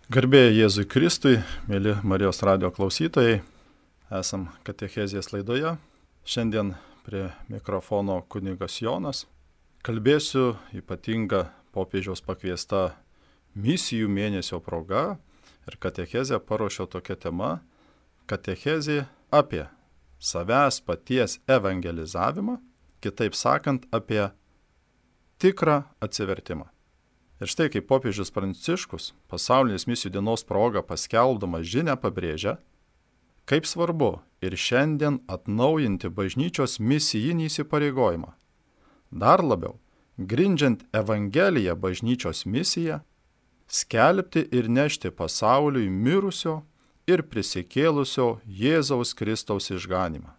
Garbė Jėzui Kristui, mėly Marijos radijo klausytojai, esam katechezės laidoje. Šiandien prie mikrofono kunigas Jonas. Kalbėsiu ypatinga popiežiaus pakviesta misijų mėnesio proga ir katechezę paruošiau tokia tema - katechezė apie savęs paties evangelizavimą, kitaip sakant, apie tikrą atsivertimą. Ir štai kaip popiežius Pranciškus pasaulinės misijų dienos proga paskelbdamas žinią pabrėžia, kaip svarbu ir šiandien atnaujinti bažnyčios misijinį įsipareigojimą. Dar labiau, grindžiant Evangeliją bažnyčios misiją, skelbti ir nešti pasauliui mirusio ir prisikėlusio Jėzaus Kristaus išganymą.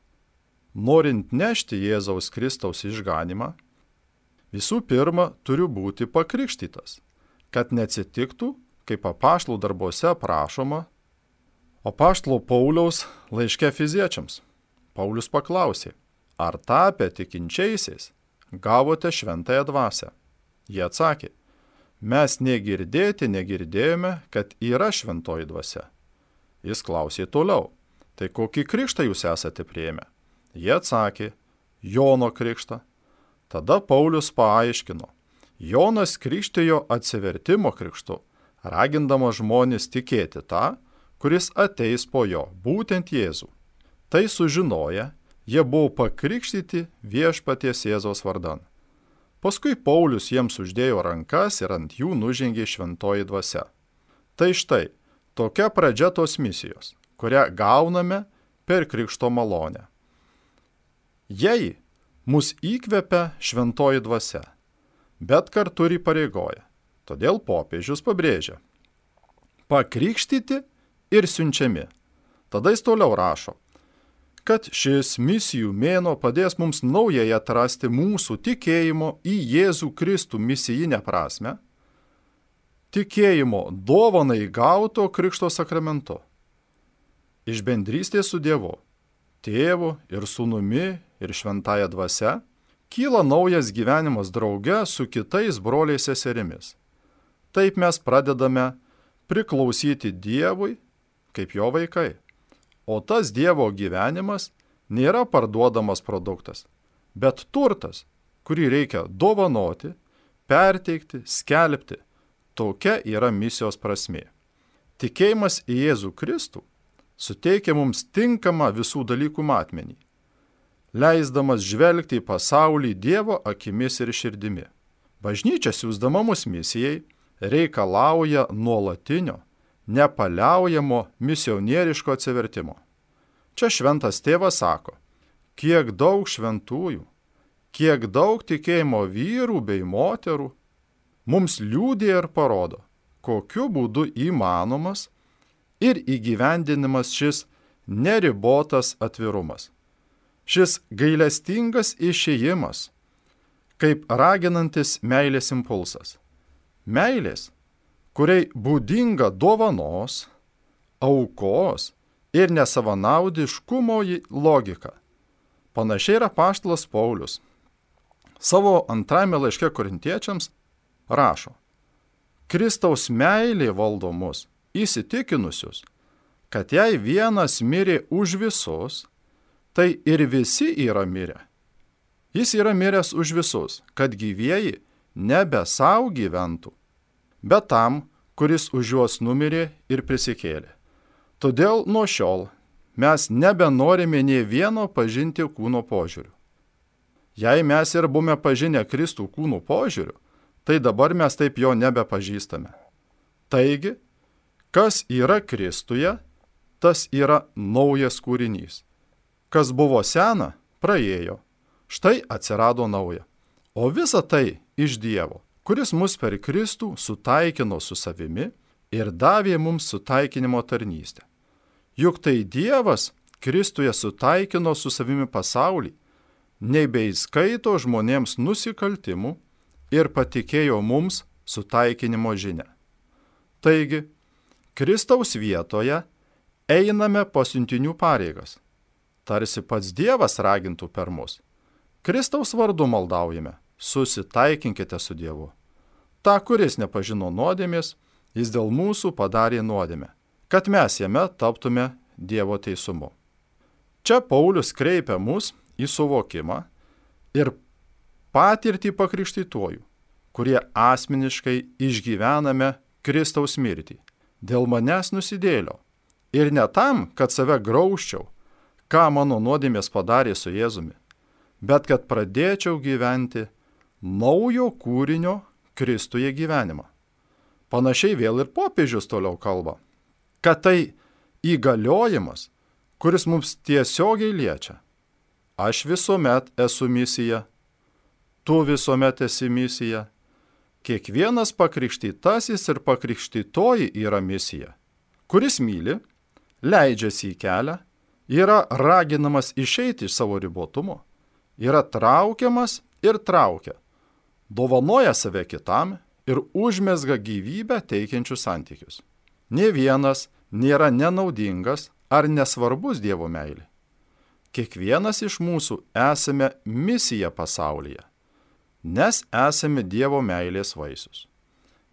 Norint nešti Jėzaus Kristaus išganymą, visų pirma, turiu būti pakrikštytas, kad neatsitiktų, kaip apaštalų darbuose prašoma, apaštalo Pauliaus laiške Efeziečiams. Paulius paklausė, ar tapę tikinčiaisiais gavote šventąją dvasią? Jie atsakė, mes negirdėjome, kad yra šventoji dvasia. Jis klausė toliau, tai kokį krikštą jūs esate priėmę? Jie atsakė, Jono krikštą. Tada Paulius paaiškino, Jonas krikštijo atsivertimo krikštu, ragindamas žmonės tikėti tą, kuris ateis po jo, būtent Jėzų. Tai sužinoję, jie buvo pakrikštyti viešpaties Jėzaus vardan. Paskui Paulius jiems uždėjo rankas ir ant jų nužengė šventoji dvasia. Tai štai, tokia pradžia tos misijos, kurią gauname per krikšto malonę. Jei mus įkvepia šventoji dvasia, bet kartu ir įpareigoja. Todėl popiežius pabrėžia, pakrikštyti ir siunčiami. Tada jis toliau rašo, kad šis misijų mėnuo padės mums naujai atrasti mūsų tikėjimo į Jėzų Kristų misijinę prasme, tikėjimo dovanai gauto krikšto sakramentu, iš bendrystės su Dievu, Tėvu ir Sūnumi ir šventąja dvasia, kyla naujas gyvenimas drauge su kitais broliais seserimis. Taip mes pradedame priklausyti Dievui kaip jo vaikai. O tas Dievo gyvenimas nėra parduodamas produktas, bet turtas, kurį reikia dovanoti, perteikti, skelbti. Tokia yra misijos prasmė. Tikėjimas į Jėzų Kristų suteikia mums tinkamą visų dalykų matmenį, leisdamas žvelgti į pasaulį Dievo akimis ir širdimi. Bažnyčia siųsdama mus misijai reikalauja nuolatinio, nepaliaujamo misionieriško atsivertimo. Čia šventas tėvas sako, kiek daug šventųjų, kiek daug tikėjimo vyrų bei moterų mums liudija ir parodo, kokiu būdu įmanomas ir įgyvendinimas šis neribotas atvirumas. Šis gailestingas išėjimas, kaip raginantis meilės impulsas. Meilės, kuriai būdinga dovanos, aukos ir nesavanaudiškumo logika. Panašiai yra apaštalas Paulius. Savo antrajame laiške korintiečiams rašo, Kristaus meilė valdo mus, įsitikinusius, kad jei vienas mirė už visus, tai ir visi yra mirę. Jis yra miręs už visus, kad gyvieji nebe savo gyventų, bet tam, kuris už juos numirė ir prisikėlė. Todėl nuo šiol mes nebenorime nė vieno pažinti kūno požiūriu. Jei mes ir buvome pažinę Kristų kūno požiūriu, tai dabar mes taip jo nebepažįstame. Taigi, kas yra Kristuje, tas yra naujas kūrinys. Kas buvo sena, praėjo. Štai atsirado nauja. O visa tai iš Dievo, kuris mus per Kristų sutaikino su savimi ir davė mums sutaikinimo tarnystę. Juk tai Dievas Kristuje sutaikino su savimi pasaulį, nebeįskaito žmonėms nusikaltimų ir patikėjo mums sutaikinimo žinią. Taigi, Kristaus vietoje einame pasiuntinių pareigas. Tarsi pats Dievas ragintų per mus. Kristaus vardu maldaujame, susitaikinkite su Dievu. Ta, kuris nepažino nuodėmės jis dėl mūsų padarė nuodėmę, kad mes jame taptume Dievo teisumu. Čia Paulius kreipia mus į suvokimą ir patirtį pakrikštytuojų, kurie asmeniškai išgyvename Kristaus mirtį. Dėl manęs nusidėlio. Ir ne tam, kad save graužčiau, ką mano nuodėmės padarė su Jėzumi, bet kad pradėčiau gyventi naujo kūrinio Kristuje gyvenimą. Panašiai vėl ir popiežius toliau kalba, kad tai įgaliojimas, kuris mums tiesiogiai liečia. Aš visuomet esu misija, tu visuomet esi misija. Kiekvienas pakrikštytasis ir pakrikštytoji yra misija. Kuris myli, leidžiasi į kelią, yra raginamas išeiti iš savo ribotumo, yra traukiamas ir traukia, dovanoja save kitam ir užmezga gyvybę teikiančius santykius. Nė vienas nėra nenaudingas ar nesvarbus Dievo meilė. Kiekvienas iš mūsų esame misija pasaulyje, nes esame Dievo meilės vaisius.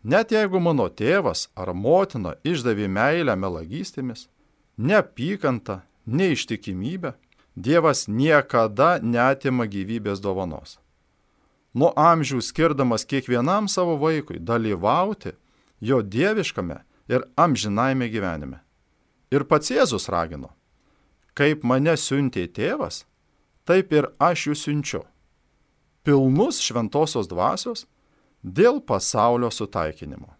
Net jeigu mano tėvas ar motina išdavė meilę melagystėmis, neapykantą, neištikimybę, Dievas niekada neatima gyvybės dovanos. Nuo amžių skirdamas kiekvienam savo vaikui dalyvauti jo dieviškame ir amžinajame gyvenime. Ir pats Jėzus ragino, kaip mane siuntė tėvas, taip ir aš jų siunčiu. Pilnus šventosios dvasios dėl pasaulio sutaikinimo.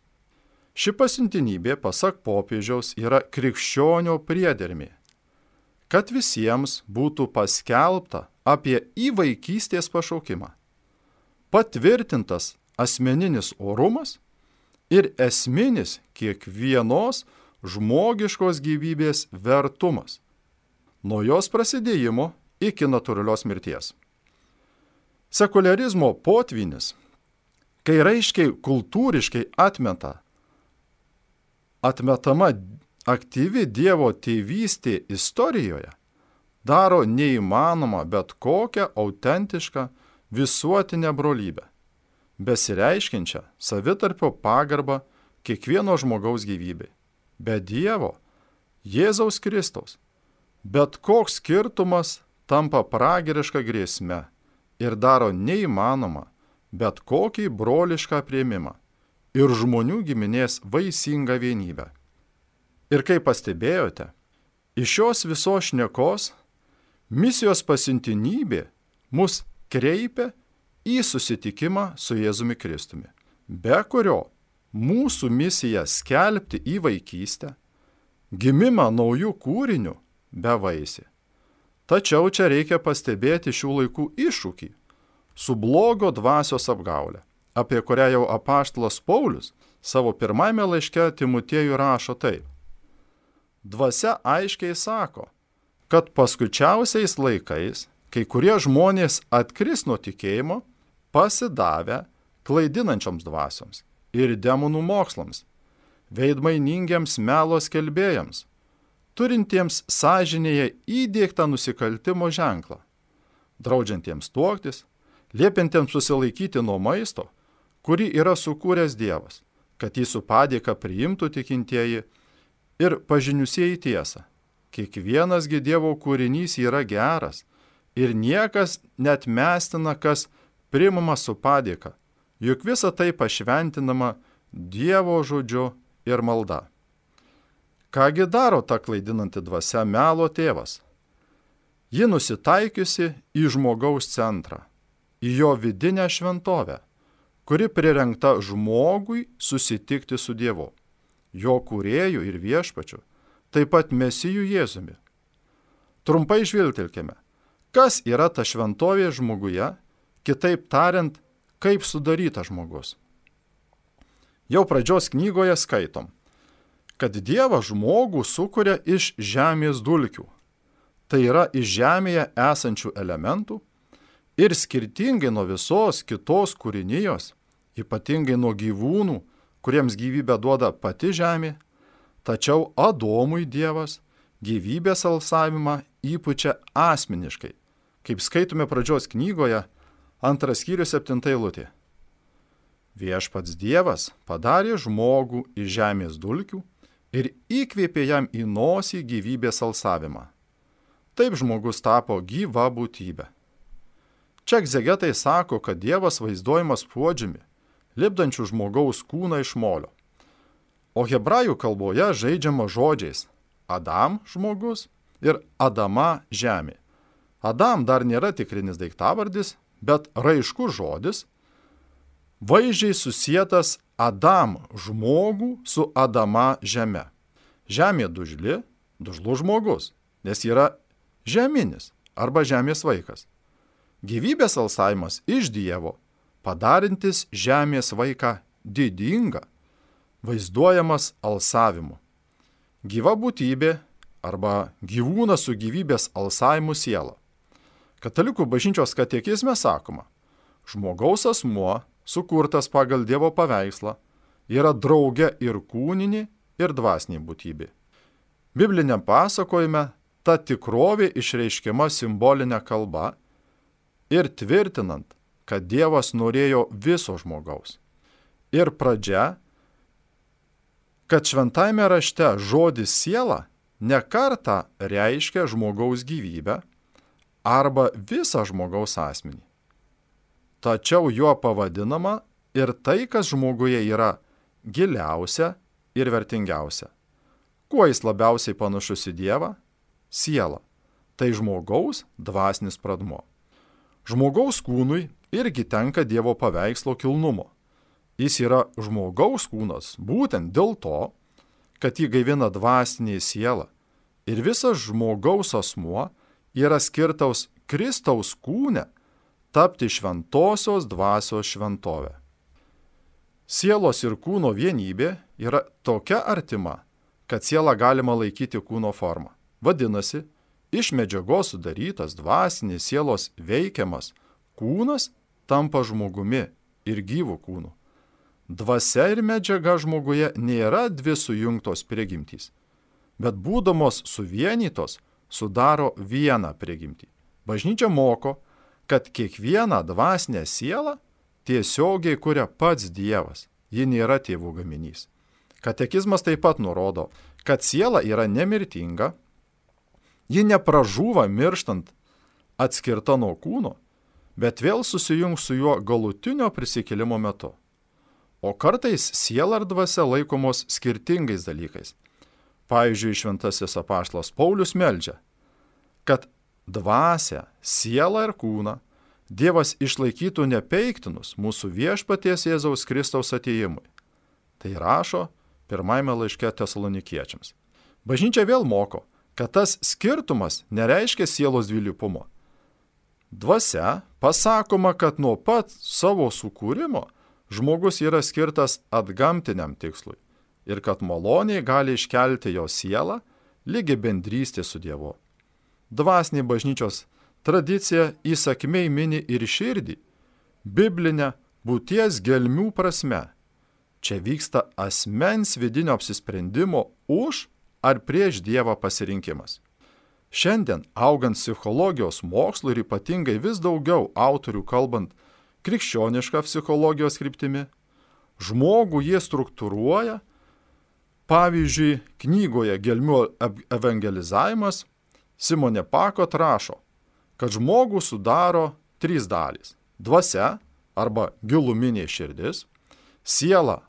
Ši pasiuntinybė, pasak popiežiaus, yra krikščionio priedermė, kad visiems būtų paskelbta apie įvaikystės pašaukimą, patvirtintas asmeninis orumas ir esminis kiekvienos žmogiškos gyvybės vertumas, nuo jos prasidėjimo iki natūralios mirties. Sekularizmo potvynis, kai raiškiai kultūriškai atmetama aktyvi Dievo tėvystė istorijoje, daro neįmanoma bet kokią autentišką visuotinę brolybę, besireiškiančią savitarpio pagarbą kiekvieno žmogaus gyvybei. Be Dievo, Jėzaus Kristaus, bet koks skirtumas tampa pragariška grėsme ir daro neįmanoma bet kokį brolišką priėmimą ir žmonių giminės vaisingą vienybę. Ir kaip pastebėjote, iš šios visos šnekos misijos pasiuntinybė mus kreipia į susitikimą su Jėzumi Kristumi, be kurio mūsų misija skelbti įvaikystę, gimimą naujų kūrinių bevaisė. Tačiau čia reikia pastebėti šių laikų iššūkį su blogio dvasios apgaule, apie kurią jau apaštalas Paulius savo pirmajame laiške Timotiejui rašo taip. Dvasia aiškiai sako, kad paskutiausiais laikais kai kurie žmonės atkris nuo tikėjimo, pasidavę klaidinančioms dvasioms ir demonų mokslams, veidmainingiams melo skelbėjams, turintiems sąžinėje įdiegtą nusikaltimo ženklą, draudžiantiems tuoktis, liepiantiems susilaikyti nuo maisto, kurį yra sukūręs Dievas, kad jį su padėka priimtų tikintieji ir pažiniusieji tiesą. Kiekvienasgi Dievo kūrinys yra geras ir niekas net mestina, kas priimama su padėka, juk visa tai pašventinama Dievo žodžiu ir malda. Kągi daro ta klaidinanti dvasia melo tėvas? Ji nusitaikiusi į žmogaus centrą, į jo vidinę šventovę, kuri prirengta žmogui susitikti su Dievu, jo kūrėju ir viešpačiu, taip pat Mesiju Jėzumi. Trumpai žvilgtelkime, kas yra ta šventovė žmoguje, kitaip tariant, kaip sudarytas žmogus. Jau pradžios knygoje skaitom, kad Dievas žmogų sukuria iš žemės dulkių, tai yra iš žemėje esančių elementų ir skirtingai nuo visos kitos kūrinijos, ypatingai nuo gyvūnų, kuriems gyvybę duoda pati žemė, tačiau Adomui Dievas gyvybės alsavimą įpučia asmeniškai, kaip skaitome pradžios knygoje, 2 skyrius 7 eilutė. Viešpats Dievas padarė žmogų iš žemės dulkių ir įkvėpė jam į nosį gyvybės alsavimą. Taip žmogus tapo gyva būtybė. Čia egzegetai sako, kad Dievas vaizduojamas puodžiumi, lipdančių žmogaus kūną iš molio. O hebrajų kalboje žaidžiama žodžiais Adam žmogus ir Adama žemė. Adam dar nėra tikrinis daiktavardis, bet raiškus žodis, vaizdžiai susietas Adam žmogų su Adama žeme. Žemė dužli, dužlus žmogus, nes yra žeminis arba žemės vaikas. Gyvybės alsavimas iš Dievo, padarintis žemės vaiką didingą, vaizduojamas alsavimu. Gyva būtybė arba gyvūnas su gyvybės alsavimu siela. Katalikų bažnyčios katekizme sakoma, žmogaus asmuo, sukurtas pagal Dievo paveikslą, yra drauge ir kūninė, ir dvasinė būtybė. Bibliniam pasakojime ta tikrovė išreiškiama simbolinė kalba ir tvirtinant, kad Dievas norėjo viso žmogaus. Ir pradžia, kad šventajame rašte žodis siela ne kartą reiškia žmogaus gyvybę arba visą žmogaus asmenį. Tačiau juo pavadinama ir tai, kas žmoguje yra giliausia ir vertingiausia. Kuo jis labiausiai panašus į Dievą? Siela. Tai žmogaus dvasinis pradmuo. Žmogaus kūnui irgi tenka Dievo paveikslo kilnumo. Jis yra žmogaus kūnas būtent dėl to, kad jį gaivina dvasinė siela ir visas žmogaus asmuo yra skirtaus Kristaus kūne tapti šventosios dvasios šventovę. Sielos ir kūno vienybė yra tokia artima, kad sielą galima laikyti kūno formą. Vadinasi, iš medžiagos sudarytas dvasinės sielos veikiamas kūnas tampa žmogumi ir gyvų kūnu. Dvasia ir medžiaga žmoguje nėra dvi sujungtos prigimtys, bet būdamos suvienytos sudaro vieną prigimtį. Bažnyčia moko, kad kiekvieną dvasinę sielą tiesiogiai kuria pats Dievas, ji nėra tėvų gaminys. Katekizmas taip pat nurodo, kad siela yra nemirtinga, ji nepražūva mirštant atskirta nuo kūno, bet vėl susijungs su juo galutinio prisikėlimo metu. O kartais siela ir dvasia laikomos skirtingais dalykais. Pavyzdžiui, šventasis apaštalas Paulius meldžia, kad dvasią, sielą ir kūną Dievas išlaikytų nepeiktinus mūsų viešpaties Jėzaus Kristaus atėjimui. Tai rašo pirmajame laiške Tesalonikiečiams. Bažnyčia vėl moko, kad tas skirtumas nereiškia sielos dvilypumo. Dvasia pasakoma, kad nuo pat savo sukūrimo žmogus yra skirtas atgamtiniam tikslui ir kad maloniai gali iškelti jo sielą lygi bendrystė su Dievu. Dvasinė bažnyčios tradicija įsakmiai mini ir širdį, biblinę būties gelmių prasme. Čia vyksta asmens vidinio apsisprendimo už ar prieš Dievą pasirinkimas. Šiandien, augant psichologijos mokslu ir ypatingai vis daugiau autorių kalbant krikščionišką psichologijos kryptimi, žmogų jie struktūruoja, pavyzdžiui, knygoje Gelmių evangelizavimas Simonė Pakot rašo, kad žmogų sudaro 3 dalys – dvasia arba giluminė širdis, siela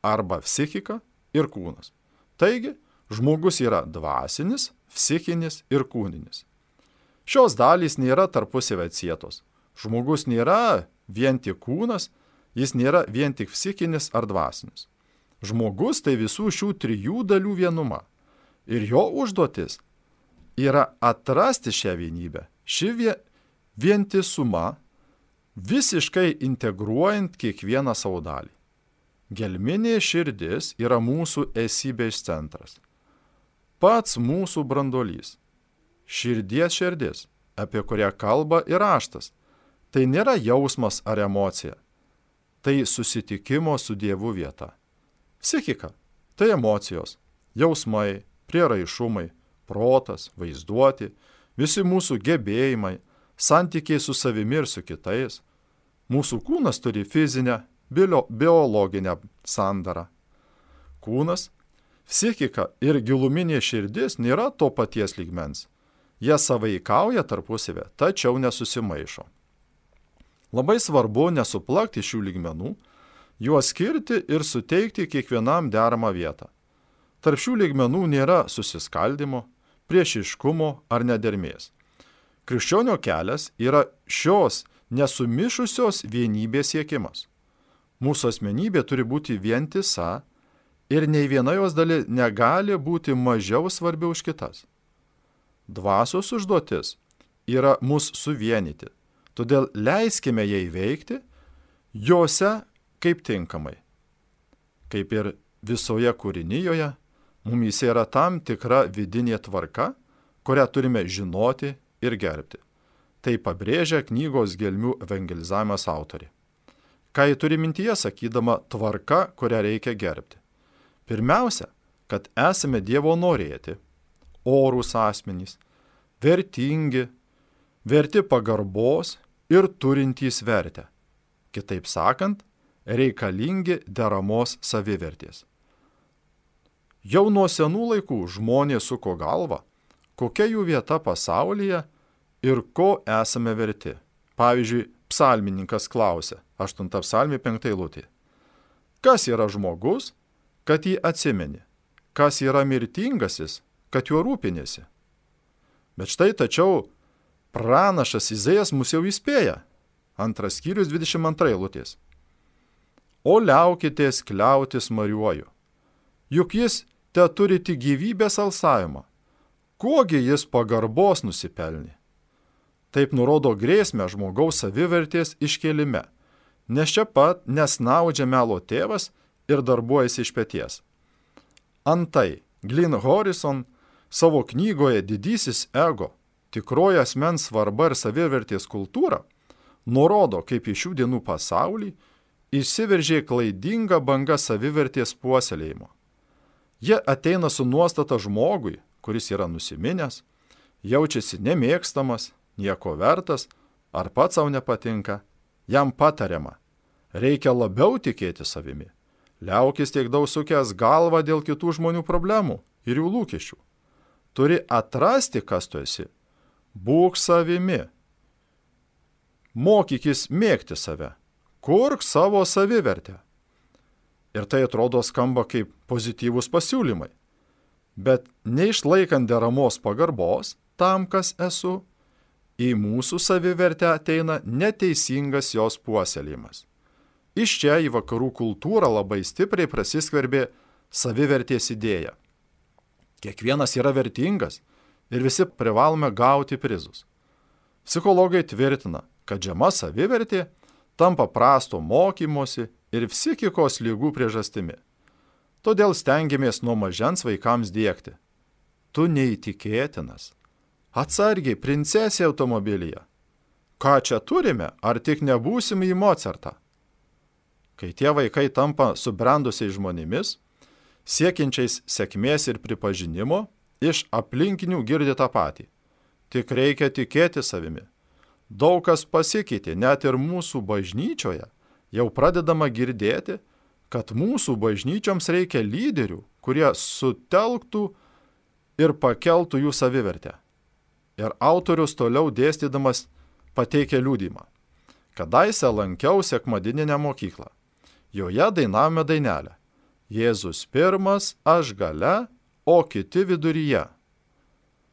arba psichika ir kūnas. Taigi, žmogus yra dvasinis, psichinis ir kūninis. Šios dalys nėra tarpusavy atsietos. Žmogus nėra vien tik kūnas, jis nėra vien tik psichinis ar dvasinis. Žmogus tai visų šių 3 dalių vienuma. Ir jo užduotis yra atrasti šią vienybę, šį vientisumą, visiškai integruojant kiekvieną savo dalį. Gelminė širdis yra mūsų esybės centras. Pats mūsų branduolys. Širdies širdis, apie kurią kalba ir raštas. Tai nėra jausmas ar emocija. Tai susitikimo su Dievu vieta. Psichika – tai emocijos, jausmai, prieraišumai, protas, vaizduoti, visi mūsų gebėjimai, santykiai su savimi ir su kitais. Mūsų kūnas turi fizinę biologinę sandarą. Kūnas, psichika ir giluminė širdis nėra to paties lygmens. Jie sąveikauja tarpusavę, tačiau nesusimaišo. Labai svarbu nesuplakti šių lygmenų, juos skirti ir suteikti kiekvienam deramą vietą. Tarp šių lygmenų nėra susiskaldimo, priešiškumo ar nedermės. Krikščionio kelias yra šios nesumišusios vienybės siekimas. Mūsų asmenybė turi būti vientisa ir nei viena jos dalis negali būti mažiau svarbi už kitas. Dvasios užduotis yra mus suvienyti, todėl leiskime jai veikti jose kaip tinkamai. Kaip ir visoje kūrinijoje, mumyse yra tam tikra vidinė tvarka, kurią turime žinoti ir gerbti. Tai pabrėžia knygos Gelmių evangelizavimas autorė. Ką ji turi mintyje, sakydama tvarka, kurią reikia gerbti? Pirmiausia, kad esame Dievo norėti, orūs asmenys, vertingi, verti pagarbos ir turintys vertę. Kitaip sakant, reikalingi deramos savivertės. Jau nuo senų laikų žmonės suko galvą, kokia jų vieta pasaulyje ir ko esame verti. Pavyzdžiui, psalmininkas klausia, 8 psalmė 5 eilutė. Kas yra žmogus, kad jį atsimeni? Kas yra mirtingasis, kad juo rūpinėsi? Bet štai tačiau pranašas Izaijas mus jau įspėja. 2 skyrius 22 eilutės. O liaukitės kliautis mariuoju, juk jis te turi tik gyvybės alsavimą. Kuogi jis pagarbos nusipelnė? Taip nurodo grėsmę žmogaus savivertės iškėlime, nes čia pat nesnaudžia melo tėvas ir darbuojasi iš peties. Antai, Glyn Horison savo knygoje Didysis ego, tikroji asmens svarba ir savivertės kultūra, nurodo, kaip į šių dienų pasaulį išsiveržė klaidinga banga savivertės puoselėjimo. Jie ateina su nuostata žmogui, kuris yra nusiminęs, jaučiasi nemėgstamas, nieko vertas, ar pats savo nepatinka, jam patariama. Reikia labiau tikėti savimi. Liaukis tiek daug sukęs galvą dėl kitų žmonių problemų ir jų lūkesčių. Turi atrasti, kas tu esi. Būk savimi. Mokykis mėgti save. Kurk savo savivertę. Ir tai atrodo skamba kaip pozityvūs pasiūlymai. Bet neišlaikant deramos pagarbos tam, kas esu, į mūsų savivertę ateina neteisingas jos puoselėjimas. Iš čia į vakarų kultūrą labai stipriai prasiskverbė savivertės idėja. Kiekvienas yra vertingas ir visi privalome gauti prizus. Psichologai tvirtina, kad žema savivertė tampa prasto mokymosi ir psichikos ligų priežastimi. Todėl stengiamės nuo mažens vaikams diegti. Tu neįtikėtinas. Atsargiai, princesė automobilyje. Ką čia turime, ar tik nebūsim į Mocartą? Kai tie vaikai tampa subrendusiais žmonėmis, siekiančiais sėkmės ir pripažinimo, iš aplinkinių girdi tą patį. Tik reikia tikėti savimi. Daug kas pasikeitė, net ir mūsų bažnyčioje jau pradedama girdėti, kad mūsų bažnyčioms reikia lyderių, kurie sutelktų ir pakeltų jų savivertę. Ir autorius toliau dėstydamas pateikia liudymą. Kadaise lankiau sekmadieninę mokyklą. Joje dainavome dainelę. Jėzus pirmas, aš gale, o kiti viduryje.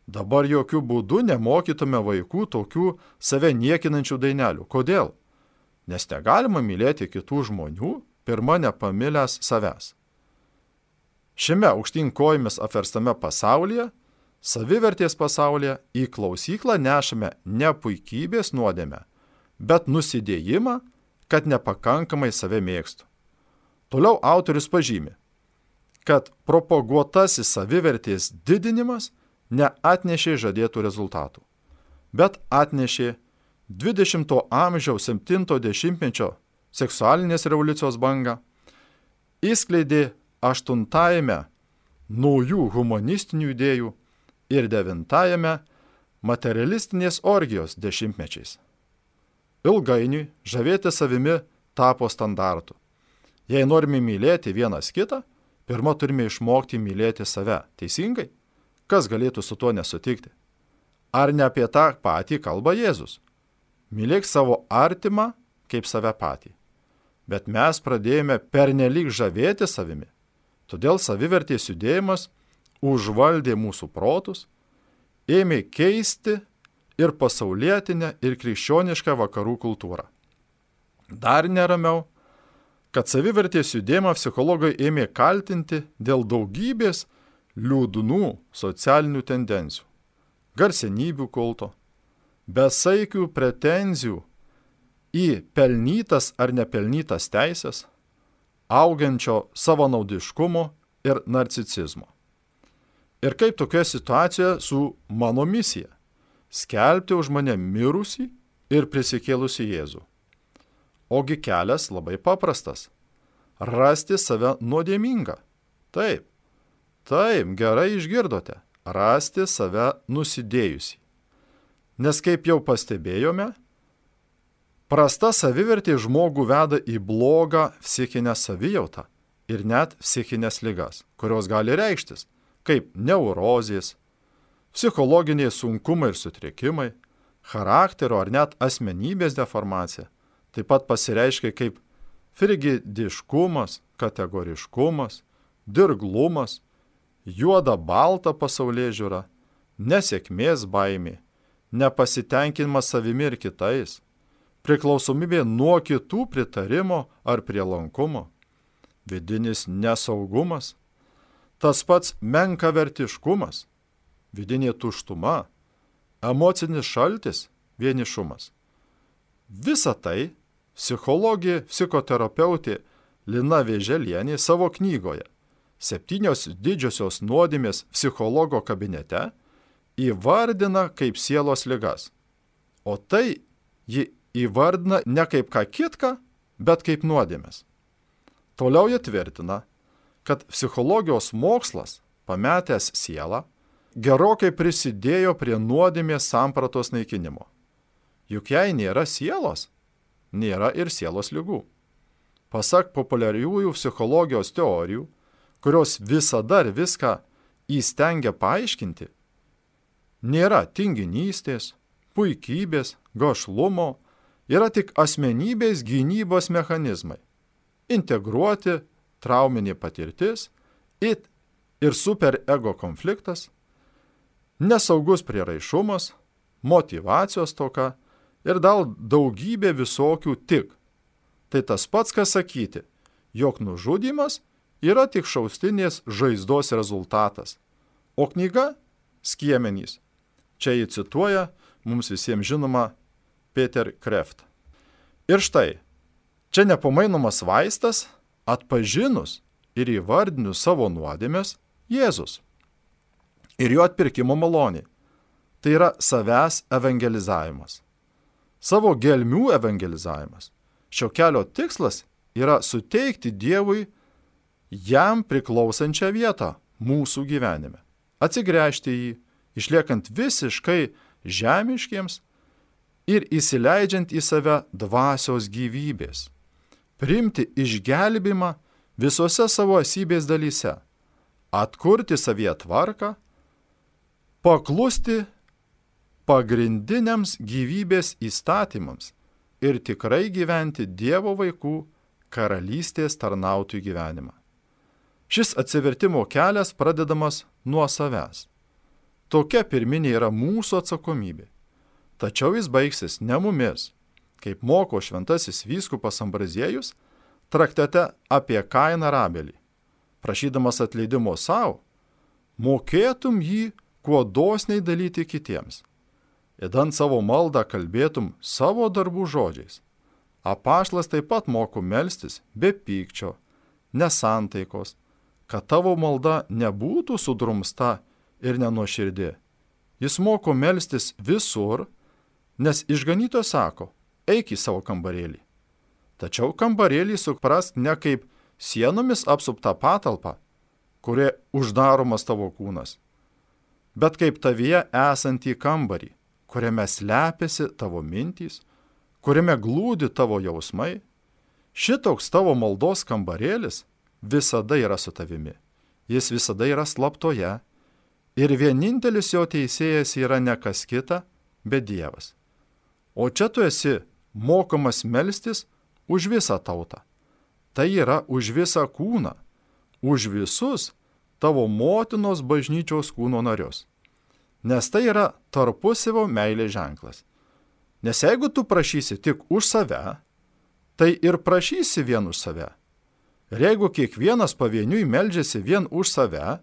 Dabar jokių būdų nemokytume vaikų tokių save niekinančių dainelių. Kodėl? Nes negalima mylėti kitų žmonių, pirma nepamilęs savęs. Šiame aukštyn kojomis apverstame pasaulyje, savivertės pasaulyje, į klausyklą nešame ne puikybės nuodėmę, bet nusidėjimą, kad nepakankamai save mėgstu. Toliau autorius pažymi, kad propaguotasis savivertės didinimas neatnešė žadėtų rezultatų, bet atnešė 20 amžiaus 70-mečio seksualinės revoliucijos bangą, įskleidė 8-ajame naujų humanistinių idėjų ir 9-ajame materialistinės orgijos dešimtmečiais. Ilgainiui žavėti savimi tapo standartu. Jei norime mylėti vienas kitą, pirma turime išmokti mylėti save. Teisingai? Kas galėtų su tuo nesutikti? Ar ne apie tą patį kalba Jėzus? Mylėk savo artimą kaip save patį. Bet mes pradėjome pernelyg žavėti savimi. Todėl savivertės judėjimas užvaldė mūsų protus, ėmė keisti ir pasaulietinę, ir krikščionišką vakarų kultūrą. Dar neramiau, kad savivertės judėjimą psichologai ėmė kaltinti dėl daugybės liūdnų socialinių tendencijų, garsenybių kulto, besaikių pretenzijų į pelnytas ar nepelnytas teisės, augančio savanaudiškumo ir narcisizmo. Ir kaip tokioje situacijoje su mano misija – skelbti už mane mirusį ir prisikėlusį Jėzų. Ogi kelias labai paprastas – rasti save nuodėmingą. Taip, gerai išgirdote – rasti save nusidėjusį. Nes kaip jau pastebėjome, prasta savivertė žmogų veda į blogą psichinę savijautą ir net psichinės ligas, kurios gali reikštis kaip neurozės, psichologiniai sunkumai ir sutrikimai, charakterio ar net asmenybės deformacija, taip pat pasireiškia kaip frigidiškumas, kategoriškumas, dirglumas, juoda balta pasaulėžiūra, nesėkmės baimė, nepasitenkinimas savimi ir kitais, priklausomybė nuo kitų pritarimo ar prielankumo, vidinis nesaugumas, tas pats menkavertiškumas, vidinė tuštuma, emocinis šaltis, vienišumas. Visa tai psichologė, psichoterapeutė Lina Vėželienė savo knygoje 7 didžiosios nuodėmės psichologo kabinete įvardina kaip sielos ligas. O tai ji įvardina ne kaip ką kitką, bet kaip nuodėmės. Toliau jie tvirtina, kad psichologijos mokslas, pametęs sielą, gerokai prisidėjo prie nuodėmės sampratos naikinimo. Juk jei nėra sielos, nėra ir sielos ligų. Pasak populiariųjų psichologijos teorijų, kurios visada ir viską įstengia paaiškinti, nėra tinginystės, puikybės, gašlumo, yra tik asmenybės gynybos mechanizmai, integruoti trauminė patirtis ir superego konfliktas, nesaugus prieraišumas, motyvacijos stoka ir dar daugybė visokių tik. Tai tas pats, kas sakyti, jog nužudymas yra tik šaustinės žaizdos rezultatas, o knyga – skiemenys. Čia jį cituoja mums visiems žinoma Peter Kreft. Ir štai, čia nepamainomas vaistas – atpažinus ir įvardinus savo nuodėmes Jėzus ir jo atpirkimo malonė. Tai yra savęs evangelizavimas. Savo gelmių evangelizavimas. Šio kelio tikslas yra suteikti Dievui jam priklausančią vietą mūsų gyvenime. Atsigręžti jį, išliekant visiškai žemiškiems ir įsileidžiant į save dvasios gyvybės. Priimti išgelbimą visose savo esybės dalyse, atkurti savyje tvarką, paklusti pagrindiniams gyvybės įstatymams ir tikrai gyventi Dievo vaikų karalystės tarnautojų gyvenimą. Šis atsivertimo kelias pradedamas nuo savęs. Tokia pirminė yra mūsų atsakomybė. Tačiau jis baigsis ne mumis, kaip moko šventasis vyskupas Ambraziejus traktate apie Kainą ir Abelį. Prašydamas atleidimo savo, mokėtum jį kuo dosniai dalyti kitiems. Įdant savo maldą kalbėtum savo darbų žodžiais. Apaštalas taip pat moko melstis be pykčio, nesantaikos, kad tavo malda nebūtų sudrumsta ir nenuoširdė. Jis moko melstis visur, nes išganytojas sako, eik į savo kambarėlį. Tačiau kambarėlį suprask ne kaip sienomis apsuptą patalpą, kurie uždaromas tavo kūnas, bet kaip tavyje esantį kambarį, kuriame slepiasi tavo mintys, kuriame glūdi tavo jausmai Šitoks tavo maldos kambarėlis visada yra su tavimi. Jis visada yra slaptoje. Ir vienintelis jo teisėjas yra ne kas kita, bet Dievas. O čia tu esi mokomas melstis už visą tautą. Tai yra už visą kūną, už visus tavo motinos bažnyčios kūno narius. Nes tai yra tarpusavio meilės ženklas. Nes jeigu tu prašysi tik už save, tai ir prašysi vien už save. Ir jeigu kiekvienas pavieniui meldžiasi vien už save,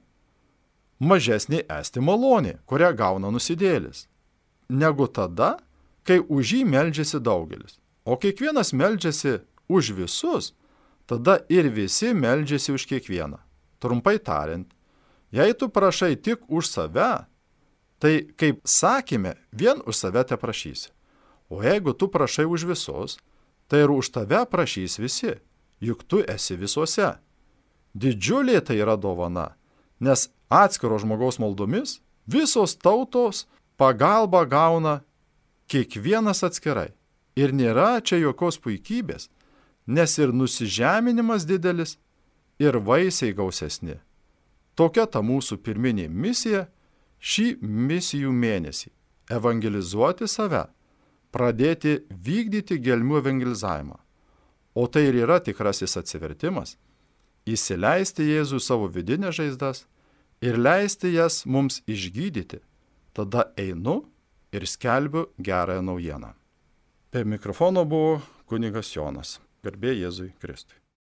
mažesnė esti malonė, kurią gauna nusidėlis, negu tada, kai už jį meldžiasi daugelis. O kiekvienas meldžiasi už visus, tada ir visi meldžiasi už kiekvieną. Trumpai tariant, jei tu prašai tik už save, tai, kaip sakėme, vien už save te prašysi. O jeigu tu prašai už visus, tai ir už tave prašys visi, juk tu esi visuose. Didžiulė tai yra dovana, nes atskiro žmogaus maldomis visos tautos pagalbą gauna kiekvienas atskirai. Ir nėra čia jokios puikybės, nes ir nusižeminimas didelis, ir vaisiai gausesni. Tokia ta mūsų pirminė misija šį misijų mėnesį – evangelizuoti save, pradėti vykdyti gelmių evangelizavimą. O tai ir yra tikrasis atsivertimas – įsileisti Jėzų savo vidinės žaizdas ir leisti jas mums išgydyti. Tada einu ir skelbiu gerąją naujieną. Prie mikrofono buvo kunigas Jonas. Garbė Jėzui Kristui.